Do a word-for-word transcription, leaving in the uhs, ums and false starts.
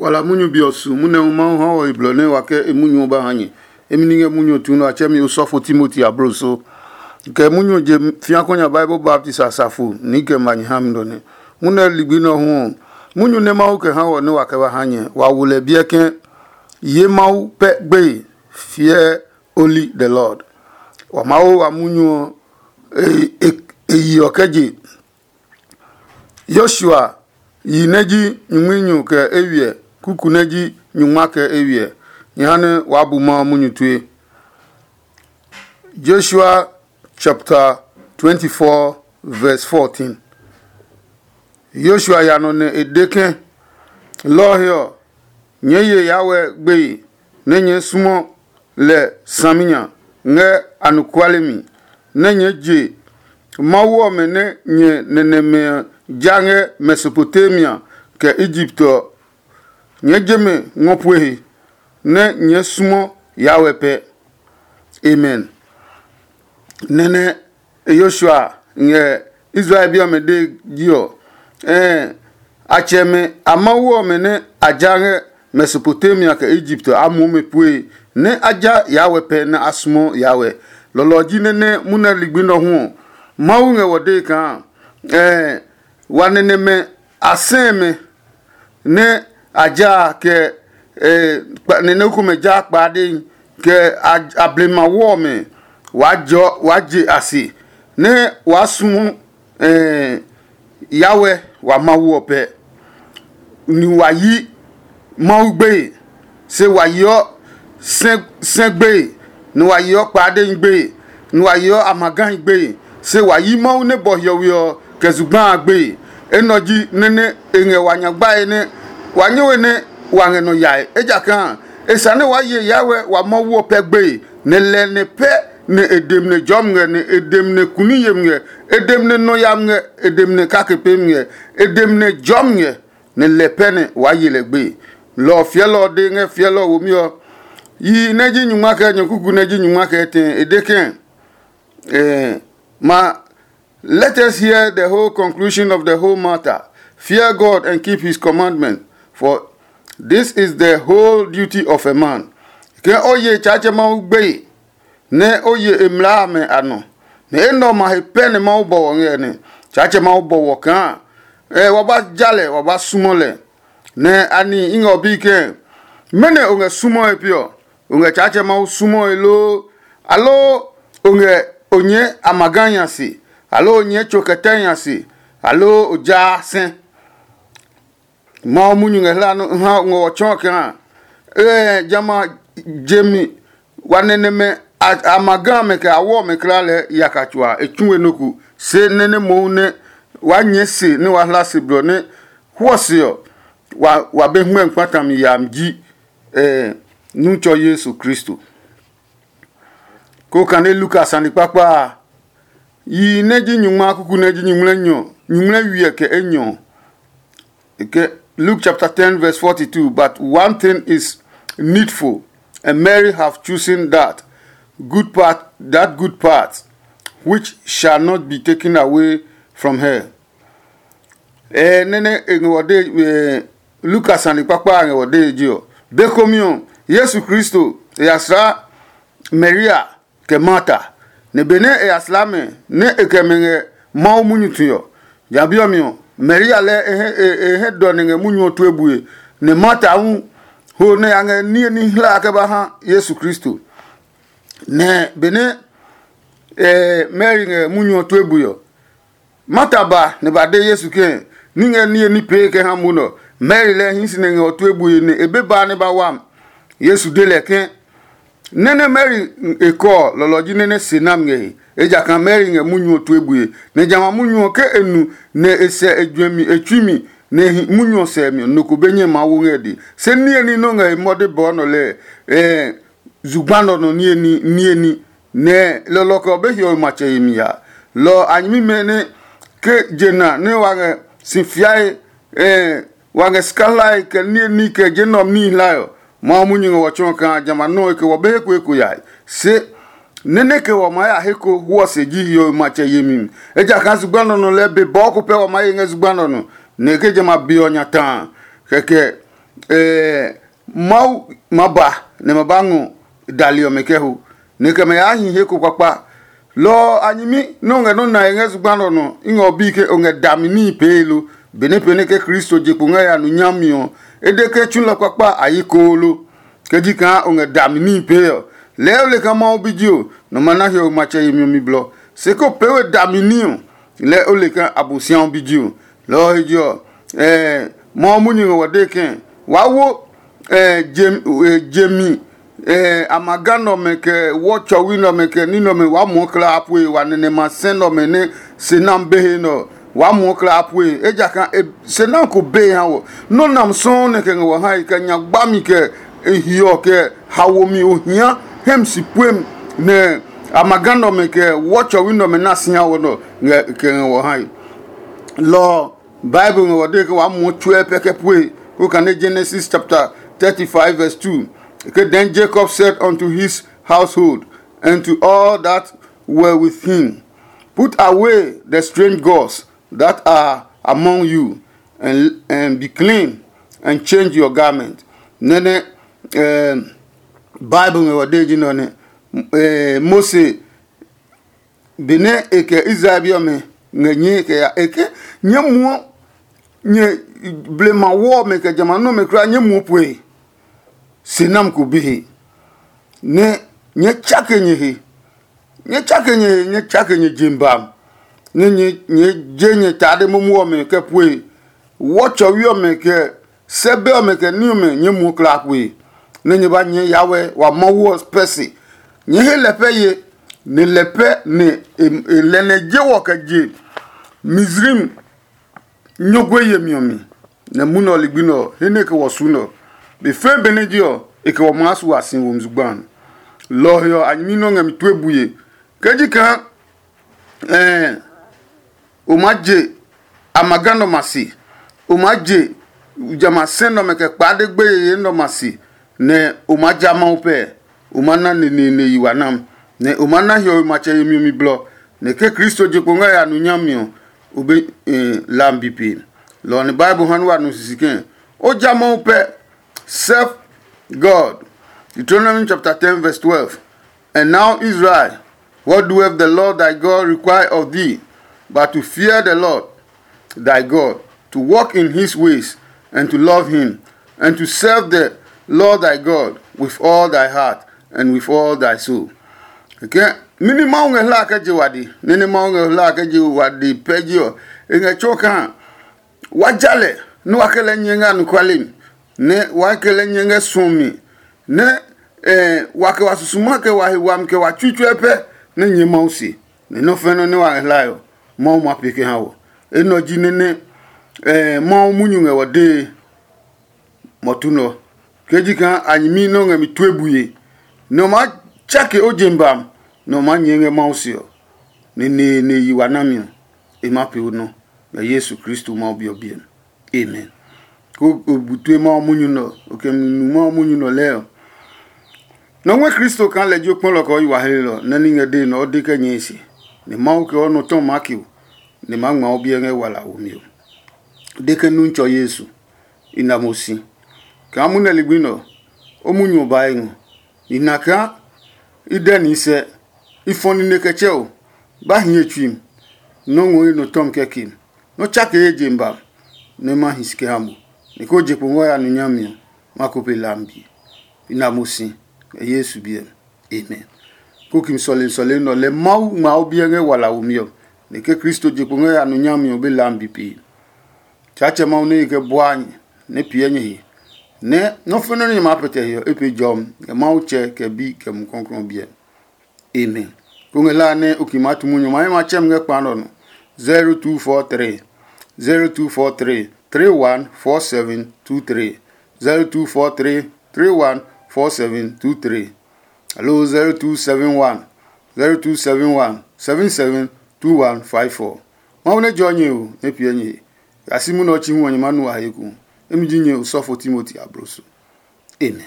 Wala munyu be ɔ su munyu nɛ Mawu ha wɔ he blɔ nɛ wa kɛ e munyu ɔ ba ha nyɛ. Emi ni ngɛ munyu ɔ tu nɛ a tsɛ mi osɔfo Timoti abloso. Kɛ munyu ɔ je fia kɔ nya Bible baptist asafo ni kɛ ma nyɛ ha mi nɔ nɛ. Munyu nɛ ligbi nɛ ɔ hu ɔ, munyu nɛ Mawu kɛ ha wɔ nɛ wa kɛ ba ha nyɛ, wa wo lɛ biɛ ke ye Mawu pɛ gbeye, fear only the Lord. Wa Mawu wa munyu ɔ e yi ɔ kɛ je. Yoshua yi nɛ ji nyumunyu kɛ eywiɛ, kuku nɛ ji nyungma kɛ eywiɛ. Nyɛ ha nɛ waa bu Mawu munyu tue. Joshua chapter twenty-four, verse fourteen. Yoshua ya nɔ nɛ e de ke, lɔ ɔ he ɔ, nyɛɛ ye Yahweh gbeye, nɛ nyɛɛ sumo lɛ saminya ngɛ anɔkuale mi, nɛ nyɛɛ je Mawu ɔmɛ nɛ nyɛ nɛnɛmɛ ja ngɛ Mesopotamia kɛ Egipt ɔ. Nyɛɛ je mɛ ngɔ pue he, nɛ nyɛɛ sumo Yahweh pɛ. Amen. Nɛnɛ Yoshua ngɛ Israel bi ɔmɛ dee ji ɔ, ɛɛ, a tsɛmɛ a Mawu ɔmɛ nɛ a ja ngɛ Mesopotamia kɛ Egipt a muɔ mɛ pue, nɛ a ja Yahweh pɛ nɛ a sumo Yahweh. Lɔlɔ ji nɛ nɛ munɛ ligbi nɔ hu ɔ, Mawu ngɛ wɔ dee kaa, ɛɛ, wa nɛnɛmɛ a sɛɛ mɛ nɛ a ja kɛ, ɛɛ, nɛnɛ komɛ ja kpaadehi kɛ a blema wɔ mɛ, waa jɔ waa je a se nɛ waa sumu Yahweh wa Mawu ɔ pɛ, ni wa yi Mawu gbeye, se wa yeɔ sɛ gbeye, ni wa yeɔ kpaadehi gbeye, ni wa yeɔ amagahi gbeye, se wa yi Mawu nɛ bɔ hiɔwe ɔ kɛ zugba a gbeye. Enɛ ɔ ji nɛ nɛ e ngɛ wa nyagbae nɛ wa nyɛwe nɛ wa ngɛ nɔ yae, ejakaa e sa nɛ waa ye Yahweh wa Mawu ɔ pɛ gbeye, nɛ lɛ nɛ pɛ nɛ e dem nɛ jɔmi ngɛ, nɛ e dem nɛ kuni yemi ngɛ, e dem nɛ nɔ yami ngɛ, e dem nɛ kake pemi ngɛ, e dem nɛ jɔmi ngɛ, nɛ lɛ pɛ nɛ waa ye lɛ gbe. Lɔ ɔ fiɛlɔ ɔ de ngɛ fiɛlɔ ɔ womi ɔ, yi nɛ ji nyungma kɛ nyɔkuku nɛ ji nyungma kɛ tɛ e de kɛ, eh, ma let us hear the whole conclusion of the whole matter. Fear God and keep his commandment, for this is the whole duty of a man. Ke o ye Tsaatsɛ Mawu gbeye, nɛ o ye e mlaa amɛ a nɔ, nɛ enɛ ɔ ma he pɛ nɛ Mawu bɔ wɔ ngɛ nɛ. Tsaatsɛ Mawu bɔ wɔ kaa, ɛ wa ba ja lɛ, wa ba sumɔ lɛ. Nɛ ani i ngɛ o bi kɛɛ, mɛnɔ o ngɛ sumɔe pi ɔ? O ngɛ Tsaatsɛ Mawu sumɔe loo, aloo o ngɛ o nyɛɛ amaga nya se, aloo o nyɛɛ tso kɛtɛ nya se, aloo o jaa sɛ? Mawu munyu ngɛ hla nɔ ha ngɔ ɔ tsɔɔ kaa, ee, jamɛ a je mi wa nɛ nɛmɛ a ma ga mɛ kɛ a wɔ mɛ kla lɛɛ yaka tsuaa e tsu we nɔ ko, se nɛ nɛ mohu nɛ waa nyɛɛ se nɛ waa hla se blɔ nɛ hwɔ se ɔ, wa be hmɛ kpata mi yami ji nu tsɔ Yesu Kristo. Ko kane Luka sane kpakpa a, yi nɛ ji nyungma kuku nɛ ji nyuŋmlɛ nyɔ, nyuŋmlɛ wiɛ kɛ enyɔ. Ke Luke chapter ten verse forty-two, but one thing is needful, and Mary have chosen that good part, that good part which shall not be taken away from her. Ɛ nɛnɛ e ngɛ wɔ de, Luka sane kpakpa a ngɛ wɔ de je ɔ, be komi ɔ, Yesu Kristo e ya sla Maria kɛ Marta, nɛ benɛ e ya sla mɛ nɛ e kɛ mɛ ngɛ Mawu munyu tue ɔ, ja bi ɔ mi ɔ, Maria lɛɛ e hɛ dɔ nɛ ngɛ munyu ɔ tue bue, nɛ Marta hu ho nɛ ya ngɛ niye ní hla kɛ ba ha Yesu Kristo. Nɛ benɛ Mari ngɛ munyu ɔ tue bue ɔ, Marta ba nɛ ba de Yesu ke, ní ngɛ niye ní pee kɛ ha mo nɛ ɔ, Mari lɛɛ hii si nɛ ngɛ ɔ tue bue nɛ e be ba nɛ ba wam. Yesu de lɛ ke, nɛ́ nɛ Mari e kɔ ɔ, lɔlɔ ji nɛ nɛ se nami ngɛ he, ejakaa Mari ngɛ munyu ɔ tue bue, nɛ jamɛ a munyu ɔ ke e nu nɛ e sɛ e juɛmi e tsui mi nɛ e hi munyu ɔ sɛɛ mi ɔ, nɔ ko be nyɛ maa wo ngɛ e dee. Se niye ní nɔ́ ngɛ he mɔde bɔɔ nɔ lɛɛ, zugba nɔ nɔ niye ní niye ní, nɛ lɔlɔ kɛ ɔ be hiɔwe matsɛ yemi ya. Lɔ ɔ a nyɛmimɛ nɛ ke je na nɛ wa ngɛ si fiae, wa ngɛ sika hlae kɛ niye ní kɛ je nɛ ɔ mi hlae ɔ, Mawu munyu ngɛ wɔ tsɔɔ kaa jamɛ a nɔuu e ke wɔ be he ko eko yae. Se nɛ́ nɛ kɛ wɔ maa ya he ko hwɔ se ji hiɔwe matsɛ yemi mi, ejakaa zugba nɔ nɔ lɛɛ be bɔɔ ko pɛ wɔ maa ye ngɛ zugba nɔ nɔ, nɛ e ke jamɛ a be ɔ nya ta a. Kɛkɛ Ɛɛ, Mawu ma ba nɛ ma ba ngɔ dali ɔmɛ kɛ ho, nɛ kɛ mɛ yaa hi he ko kpakpa. Lɔ ɔ a nyɛmi nɛ o ngɛ nɔ́ nae ngɛ zugba nɛ ɔ nɔ, i ngɛ o bi ke o ngɛ dami níhi pee lo, benɛ pee nɛ ke Kristo je kpo ngɛ ya nu nyami ɔ, e de ke tsulɔ kpakpa a yi koolo. Ke ji kaa o ngɛ dami níhi pee ɔ, lɛɛ o le kaa Mawu bi ji o, nɔ ma na hiɔwe matsɛ yemi ɔ mi blɔ. Se ko pee we dami ní ɔ, lɛɛ o le kaa Abosiamu bi ji o. Lɔ ɔ he je ɔ, ɛɛ, Mawu munyu ngɛ wɔ dee kɛ̃, waa wo ɛɛ, jem-, ɛɛ, jemi, ɛɛ, amaga nɛ ɔmɛ, kɛ wɔ tsɔwi nɛ ɔmɛ, kɛ ní nɛ ɔmɛ, waa muɔ kla a pue wa nɛnɛ ma sɛ nɛ ɔmɛ nɛ se nam be he nɛ ɔ, waa muɔ kla a pue, ejakaa e se nam ko be ha wɔ. Nɔ́ nam sɔɔ nɛ kɛ ngɛ wɔ hae, kɛ nya gbami, kɛ e hiɔ, kɛ hawomi ohia hɛmi si puem, nɛ amaga nɛ ɔmɛ, kɛ wɔ tsɔwi nɛ ɔmɛ na si ha wɔ nɛ ɔ, ngɛ kɛ ngɛ wɔ hae. Lɔ ɔ, Bible ngɛ wɔ dee ke waa muɔ tsuɛ pɛ kɛ pue. Ko kane Genesis chapter thirty-five verse two. Ke then Jacob said unto his household and to all that were with him, "Put away the strange gods that are among you, and, and be clean, and change your garment." Nɛnɛ, um, Bible ngɛ wɔ dee ji nɔ nɛ, eh, Mose benɛ e kɛ Israel bi ɔmɛ ngɛ nyɛe kɛ ya, e ke, "Nyɛɛ muɔ nyɛ blema wɔ ɔmɛ kɛ jamɛ a nɔmɛ kulaa, nyɛɛ muɔ pue." Se nam ko be he, nɛ nyɛɛ tsake nyɛ he, nyɛɛ tsake nyɛ he, nyɛɛ tsake nyɛ jem ba, nɛ nyɛ nyɛɛ je nyɛ tade momo ɔmɛ kɛ pue. Wɔ tsɔwi ɔmɛ kɛ sɛbɛ ɔmɛ kɛ ní ɔmɛ nyɛɛ muɔ kla kue, nɛ nyɛ ba nyɛɛ yawɛ wa Mawu ɔ pɛ se. Nyɛɛ he lɛ pɛ ye, nɛ lɛ pɛ nɛ e e lɛ nɛ je wɔ kɛ je Mizraim nyɔgue yemi ɔ mi, nɛ munɔ ligbi nɛ ɔ, he nɛ e kɛ wɔ su nɛ ɔ, be fɛɛ benɛ je ɔ, e kɛ wɔ maa su a si womi zugba a. Lɔ ɔ he ɔ, a nyɛmi nɛ ɔ ngɛ mi tue bue. Ke ji kaa ɛɛ o maa je amaga nɛ ɔmɛ a se, o maa je jamɛ a sɛ nɛ ɔmɛ kɛ kpaa de gbeye yeye nɛ ɔmɛ a se, nɛ o maa ja Mawu pɛɛ, o maa na neneene yi wa nam, nɛ o maa na hiɔwe matsɛ yemi ɔ mi blɔ, nɛ ke Kristo je kpo ngɛ ya nu nyami ɔ, o be eh, lam bi pe. Lɔ ɔ nɛ Bible ha nɛ wa nu sisi kɛ̃, o ja Mawu pɛ. Serve God. Deuteronomy chapter ten verse twelve. And now, Israel, what doeth the Lord thy God require of thee, but to fear the Lord thy God, to walk in his ways, and to love him, and to serve the Lord thy God with all thy heart and with all thy soul. Okay? Mini Mawu ngɛ hla kɛ je wadi, nene Mawu ngɛ hla kɛ je wadi pɛ ji ɔ, e ngɛ tso kaa wa ja lɛ, nɛ wa kɛ lɛ nyɛ ngɛ anɔkuale mi, nɛ wa kɛ lɛ nyɛ ngɛ suɔ mi, nɛ eh, wa kɛ wa susuma kɛ wa he wami kɛ wa tsuitsue pɛ nɛ nyɛ Mawu se, nɛ nɔ́ fɛnɛ nɛ wa ngɛ hlae ɔ, Mawu ma pee kɛ ha wɔ. Enɛ ɔ ji nɛ nɛ eh, Mawu munyu ngɛ wɔ dee mɔtu nɛ ɔ. Ke ji kaa a nyɛmi nɛ o ngɛ mi tue bue, nɛ o maa tsake o je mi ba, nɛ o maa nyɛɛ ngɛ Mawu se ɔ, nɛ neene yi wa nami ɔ, e maa pee o nɔ ngɛ Yesu Kristo Mawu Bi ɔ biɛ mi. Amen. Ko o bu tue Mawu munyu nɛ ɔ, o kɛ mi nu Mawu munyu nɛ ɔ lɛɛ ɔ, nɔ ngmɛ Kristo kaa lɛ ji o kpɔlɔ kɛ o yi wa hlelɔ nɛ ní ngɛ dee nɛ o de kɛ nyɛe se, nɛ Mawu kɛ o nɔ tɔ maa ke o, nɛ maa ngma o biɛ ngɛ wala womi ɔ. De ke nu ntsɔ Yesu, i na mo si. Kaa munɛ ligbi nɛ ɔ, o munyu ɔ ba e ngɔ. I na kaa i dɛ ni sɛ, i fɔ nine kɛ tsɛ o, ba hi ye tsui mi, nɔ́ ngɔ ye nɔ tɔmi kɛ ke mi. Nɔ́ tsake ye je mi ba, nɛ ma hi si kɛ ha mo, nɛ ko je kpo ngɔ ya nu nyami ɔ, ma ko pe hlami be. I na mo si ngɛ Yesu biɛ mi. Amen. Kukimi sɔlemi sɔlemi nɛ ɔ, lɛ Mawu ngma o biɛ ngɛ wala womi ɔ, nɛ ke Kristo je kpo ngɛ ya nu nyami ɔ be hlami be pee. Tsaatsɛ Mawu nɛ e kɛ buaa nyɛ, nɛ piɛ nyɛ he, nɛ nɔ́ fɛnɛ nɛ nyɛ maa pɛtɛ he ɔ, e pee jɔmi ngɛ Mawu Tsɛ, kɛ Bi, kɛ Mumi Klɔuklɔu ɔ biɛ. Amen. Ko ngɛ la nɛ o ki maa tu munyu ɔ, ma hɛ ma tsɛ mi ngɛ kpa nɛ ɔ nɔ. Zero two four three, zero two four three, three one four seven two three, zero two four three, three one four seven two three, aloo zero two seven one, zero two seven one, seven seven two one five four. Mawu nɛ jɔ nyɛ o, nɛ piɛ nyɛ he. Yasi munɛ ɔ chi hu ɔ, nyɛ ma nu a he eko. Emi ji nyɛ osɔfo Timoti abloso. Amen.